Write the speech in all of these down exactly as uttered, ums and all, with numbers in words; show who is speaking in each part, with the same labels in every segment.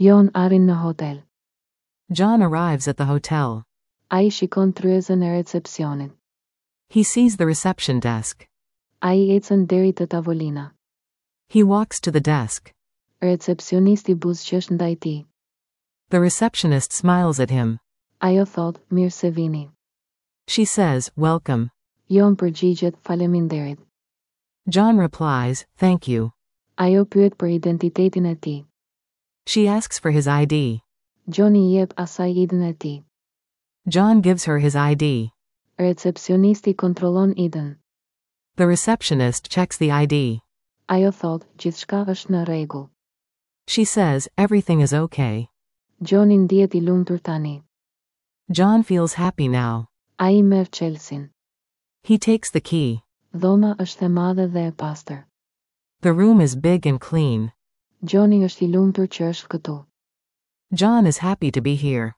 Speaker 1: John arrin në hotel.
Speaker 2: John arrives at the hotel.
Speaker 1: Ai shikon tryezën e recepcionit.
Speaker 2: He sees the reception desk.
Speaker 1: Ai ecën deri te tavolina.
Speaker 2: He walks to the desk.
Speaker 1: Recepcionisti buzëqesh ndaj tij.
Speaker 2: The receptionist smiles at him.
Speaker 1: Ajo thot, "Mirë se vini."
Speaker 2: She says, "Welcome."
Speaker 1: John përgjigjet, "Faleminderit."
Speaker 2: John replies, "Thank you."
Speaker 1: Ajo pyet për identitetin e tij.
Speaker 2: She asks for his I D.
Speaker 1: John i jep asaj I D-në e tij.
Speaker 2: John gives her his I D.
Speaker 1: Recepcionisti kontrollon I D-në.
Speaker 2: The receptionist checks the I D.
Speaker 1: Ajo thot, "Gjithçka është në rregull."
Speaker 2: She says, "Everything is okay."
Speaker 1: Johni ndihet i lumtur tani.
Speaker 2: John feels happy now.
Speaker 1: Ai merr çelësin.
Speaker 2: He takes the key.
Speaker 1: Dhoma është e madhe dhe e pastër.
Speaker 2: The room is big and clean.
Speaker 1: Johni është i lumtur që është këtu.
Speaker 2: John is happy to be here.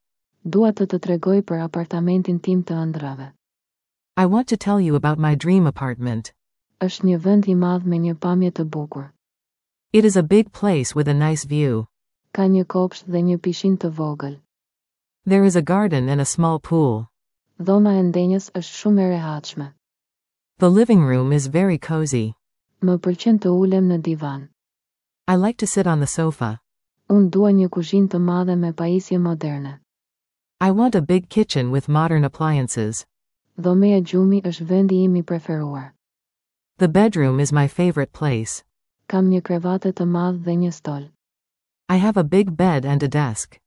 Speaker 1: Dua të të tregoj për apartamentin tim të ëndrrave.
Speaker 2: I want to tell you about my dream apartment.
Speaker 1: Është një vend i madh me një pamje të bukur.
Speaker 2: It is a big place with a nice view.
Speaker 1: Ka një kopsht dhe një pishinë të vogël.
Speaker 2: There is a garden and a small pool.
Speaker 1: Dhoma e ndenjës është shumë e rehatshme.
Speaker 2: The living room is very cozy.
Speaker 1: Më pëlqen të ulem në divan.
Speaker 2: I like to sit on the sofa.
Speaker 1: Unë dua një kuzhinë të madhe me pajisje moderne.
Speaker 2: I want a big kitchen with modern appliances.
Speaker 1: Dhoma e gjumit është vendi im i preferuar.
Speaker 2: The bedroom is my favorite place.
Speaker 1: Kam një krevat të madh dhe një stol.
Speaker 2: I have a big bed and a desk.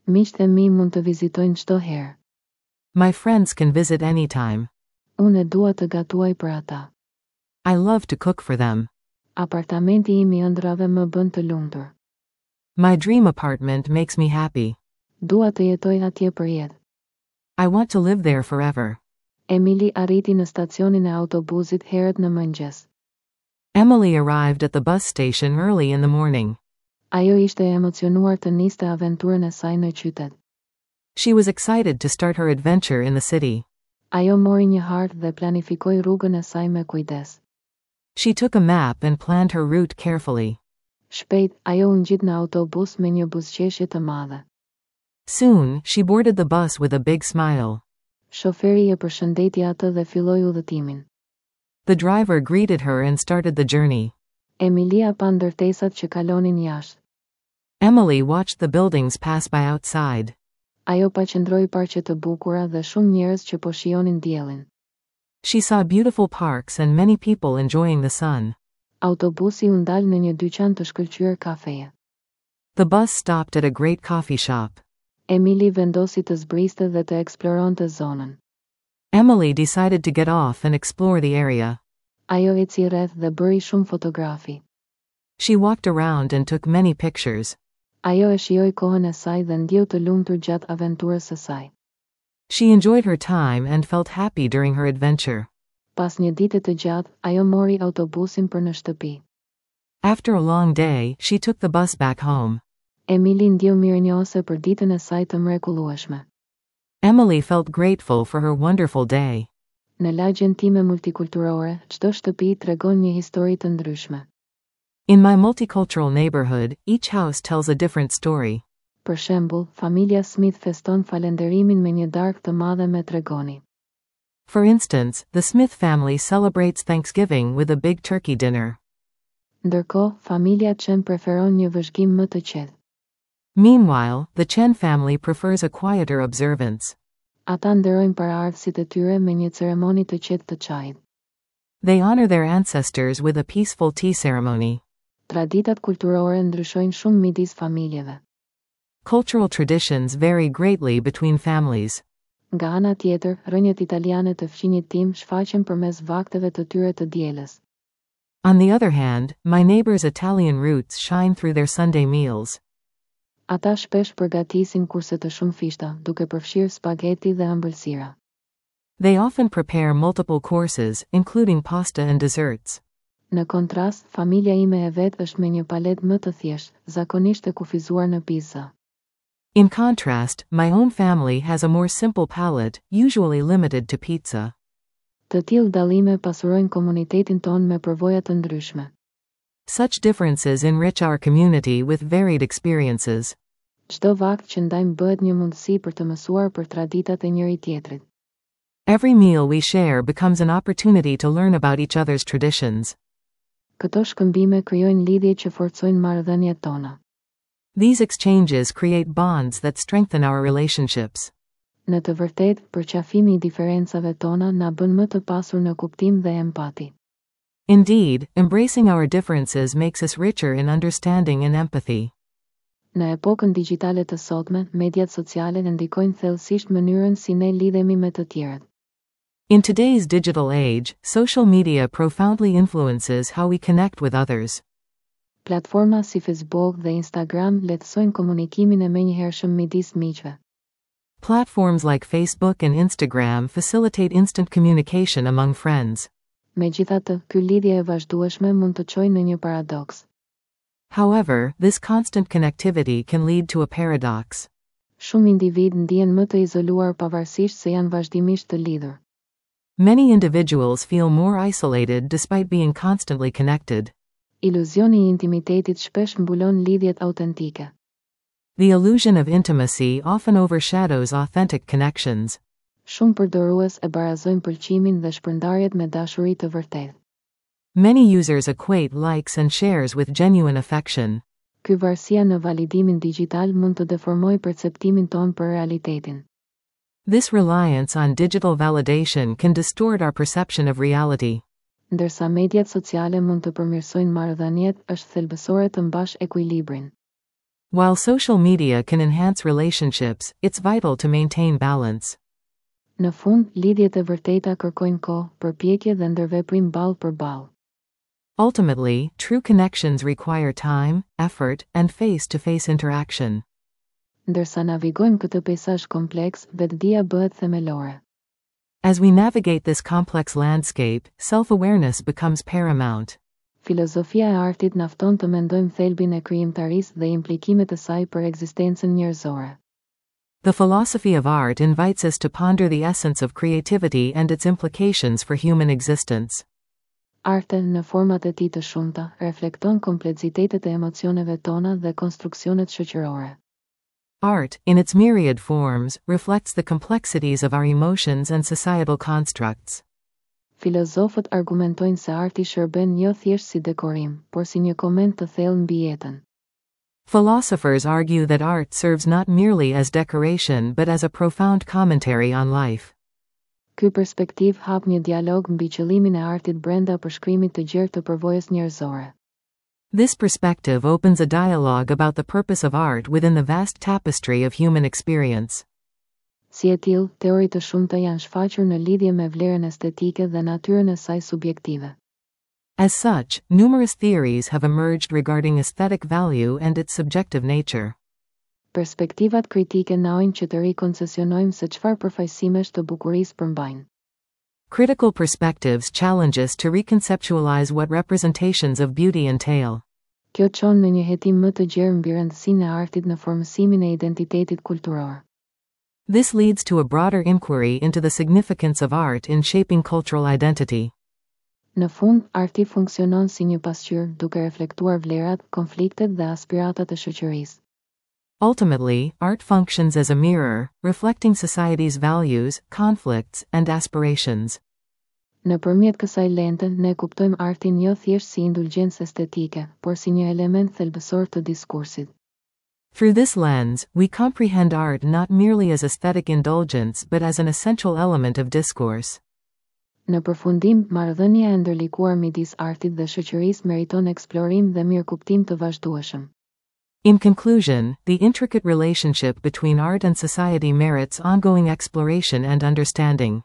Speaker 1: Miqtë e mi mund të vizitojnë çdo herë.
Speaker 2: My friends can visit anytime.
Speaker 1: Unë e dua të gatuaj për ata.
Speaker 2: I love to cook for them.
Speaker 1: Apartamenti im i ëndrrave më bën të lumtur.
Speaker 2: My dream apartment makes me happy.
Speaker 1: Dua të jetoj atje për jetë.
Speaker 2: I want to live there forever.
Speaker 1: Emily arriti në stacionin e autobusit herët në mëngjes.
Speaker 2: Emily arrived at the bus station early in the morning.
Speaker 1: Ajo ishte e emocionuar të niste aventurën e saj në qytet.
Speaker 2: She was excited to start her adventure in the city.
Speaker 1: Ajo mori një hartë dhe planifikoi rrugën e saj me kujdes.
Speaker 2: She took a map and planned her route carefully.
Speaker 1: Shpejt, ajo u ngjit në autobus me një buzëqeshje të madhe.
Speaker 2: Soon, she boarded the bus with a big smile.
Speaker 1: Shoferi e përshëndeti atë dhe filloi udhëtimin.
Speaker 2: The driver greeted her and started the journey.
Speaker 1: Emilia pa ndërtesat që kalonin jashtë.
Speaker 2: Emily watched the buildings pass by outside.
Speaker 1: Ajo pa qëndroi parqe të bukura dhe shumë njerëz që po shijonin diellin.
Speaker 2: She saw beautiful parks and many people enjoying the sun.
Speaker 1: Autobusi u ndal në një dyqan të shkëlqyer kafeje.
Speaker 2: The bus stopped at a great coffee shop.
Speaker 1: Emily vendosi të zbriste dhe të eksploronte zonën.
Speaker 2: Emily decided to get off and explore the area.
Speaker 1: Ajo eci rreth dhe bëri shumë fotografi.
Speaker 2: She walked around and took many pictures.
Speaker 1: Ajo e shijoi kohën e saj dhe ndjeu të lumtur gjatë aventurës së saj.
Speaker 2: She enjoyed her time and felt happy during her adventure.
Speaker 1: Pas një dite të gjatë, ajo mori autobusin për në shtëpi.
Speaker 2: After a long day, she took the bus back home.
Speaker 1: Emily ndjeu mirënjohëse për ditën e saj të mrekullueshme.
Speaker 2: Emily felt grateful for her wonderful day.
Speaker 1: Në lagjen time multikulturore, çdo shtëpi tregon një histori të ndryshme.
Speaker 2: In my multicultural neighborhood, each house tells a different story.
Speaker 1: Për shembull, familja Smith feston falenderimin me një darkë të madhe me tregoni.
Speaker 2: For instance, the Smith family celebrates Thanksgiving with a big turkey dinner.
Speaker 1: Ndërkohë, familja Chen preferon një vëzhgim më të qetë.
Speaker 2: Meanwhile, the Chen family prefers a quieter observance.
Speaker 1: Ata nderojnë paraardhësit e tyre me një ceremoni të qetë të çajit.
Speaker 2: They honor their ancestors with a peaceful tea ceremony.
Speaker 1: Traditat kulturore ndryshojnë shumë midis familjeve.
Speaker 2: Cultural traditions vary greatly between families.
Speaker 1: Nga ana tjetër, rrënjët italiane të fqinjit tim shfaqen përmes vakteve të tyre të dielës.
Speaker 2: On the other hand, my neighbor's Italian roots shine through their Sunday meals.
Speaker 1: Ata shpesh përgatisin kurse të shumëfishta, duke përfshirë spaghetti dhe ëmbëlsira.
Speaker 2: They often prepare multiple courses, including pasta and desserts.
Speaker 1: Në kontrast, familja ime e vetë është me një paletë më të thjeshtë, zakonisht e kufizuar në pizza.
Speaker 2: In contrast, my own family has a more simple palate, usually limited to pizza.
Speaker 1: Të tillë dallime pasurojnë komunitetin tonë me përvoja të ndryshme.
Speaker 2: Such differences enrich our community with varied experiences.
Speaker 1: Çdo vakt që ndajmë bëhet një mundësi për të mësuar për traditat e njëri tjetrit.
Speaker 2: Every meal we share becomes an opportunity to learn about each other's traditions.
Speaker 1: Këto shkëmbime krijojnë lidhje që forcojnë marrëdhëniet tona.
Speaker 2: These exchanges create bonds that strengthen our relationships.
Speaker 1: Në të vërtetë, përqafimi i diferencave tona na bën më të pasur në kuptim dhe empati.
Speaker 2: Indeed, embracing our differences makes us richer in understanding and empathy.
Speaker 1: Në epokën digjitale të sotme, mediat sociale ndikojnë thellësisht mënyrën si ne lidhemi me të tjerët.
Speaker 2: In today's digital age, social media profoundly influences how we connect with others.
Speaker 1: Platforma si Facebook dhe Instagram lehtësojnë komunikimin e menjëhershëm midis miqve.
Speaker 2: Platforms like Facebook and Instagram facilitate instant communication among friends.
Speaker 1: Megjithatë, ky lidhje e vazhdueshme mund të çojë në një paradoks.
Speaker 2: However, this constant connectivity can lead to a paradox.
Speaker 1: Shumë individ ndihen më të izoluar pavarësisht se janë vazhdimisht të lidhur.
Speaker 2: Many individuals feel more isolated despite being constantly connected.
Speaker 1: Iluzioni i intimitetit shpesh mbulon lidhjet autentike.
Speaker 2: The illusion of intimacy often overshadows authentic connections.
Speaker 1: Shumë përdorues e barazojnë pëlqimin dhe shpërndarjet me dashuri të vërtetë.
Speaker 2: Many users equate likes and shares with genuine affection.
Speaker 1: Ky varësia në validimin digital mund të deformojë perceptimin tonë për realitetin.
Speaker 2: This reliance on digital validation can distort our perception of reality.
Speaker 1: Ndërsa mediat sociale mund të përmirësojnë marrëdhëniet, është thelbësore të mbash ekuilibrin.
Speaker 2: While social media can enhance relationships, it's vital to maintain balance.
Speaker 1: Në fund, lidhjet e vërteta kërkojnë kohë, përpjekje dhe ndërveprim ballë për ballë.
Speaker 2: Ultimately, true connections require time, effort, and face to face interaction.
Speaker 1: Ndërsa navigojmë këtë peisazh kompleks, vetëdija bëhet themelore.
Speaker 2: As we navigate this complex landscape, self awareness becomes paramount.
Speaker 1: Filozofia e artit na fton të mendojmë thelbin e krijimtarisë dhe implikimet e saj për ekzistencën njerëzore.
Speaker 2: The philosophy of art invites us to ponder the essence of creativity and its implications for human existence.
Speaker 1: Arti, në format e tij të shumta, reflekton kompleksitetet e emocioneve tona dhe konstruksionet shoqërore.
Speaker 2: Art, in its myriad forms, reflects the complexities of our emotions and societal constructs.
Speaker 1: Filozofët argumentojnë se arti shërben jo thjesht si dekorim, por si një koment të thellë mbi jetën.
Speaker 2: Philosophers argue that art serves not merely as decoration but as a profound commentary on life.
Speaker 1: Ky perspektiv hap një dialog mbi qëllimin e artit brenda përshkrimit të gjerë të përvojës njerëzore.
Speaker 2: This perspective opens a dialogue about the purpose of art within the vast tapestry of human experience.
Speaker 1: Si e tillë, teori të shumta janë shfaqur në lidhje me vlerën estetike dhe natyrën e saj subjektive.
Speaker 2: As such, numerous theories have emerged regarding aesthetic value and its subjective nature.
Speaker 1: Perspektivat kritike na ftojnë që të rikonceptualizojmë se çfarë përfaqësimesh të bukurisë përmbajnë.
Speaker 2: Critical perspectives challenge us to reconceptualize what representations of beauty entail.
Speaker 1: Kjo çon në një hetim më të gjerë mbi rëndësinë e artit në formësimin e identitetit kulturor.
Speaker 2: This leads to a broader inquiry into the significance of art in shaping cultural identity.
Speaker 1: Në fund, arti funksionon si një pasqyrë duke reflektuar vlerat, konfliktet dhe aspiratat e shoqërisë.
Speaker 2: Ultimately, art functions as a mirror, reflecting society's values, conflicts, and aspirations.
Speaker 1: Nëpërmjet kësaj lente, ne kuptojmë artin jo thjesht si indulgjencë estetike, por si një element thelbësor të diskursit.
Speaker 2: Through this lens, we comprehend art not merely as aesthetic indulgence but as an essential element of discourse.
Speaker 1: Në përfundim, marrëdhënia e ndërlikuar midis artit dhe shoqërisë meriton eksplorim dhe mirëkuptim të vazhdueshëm.
Speaker 2: In conclusion, the intricate relationship between art and society merits ongoing exploration and understanding.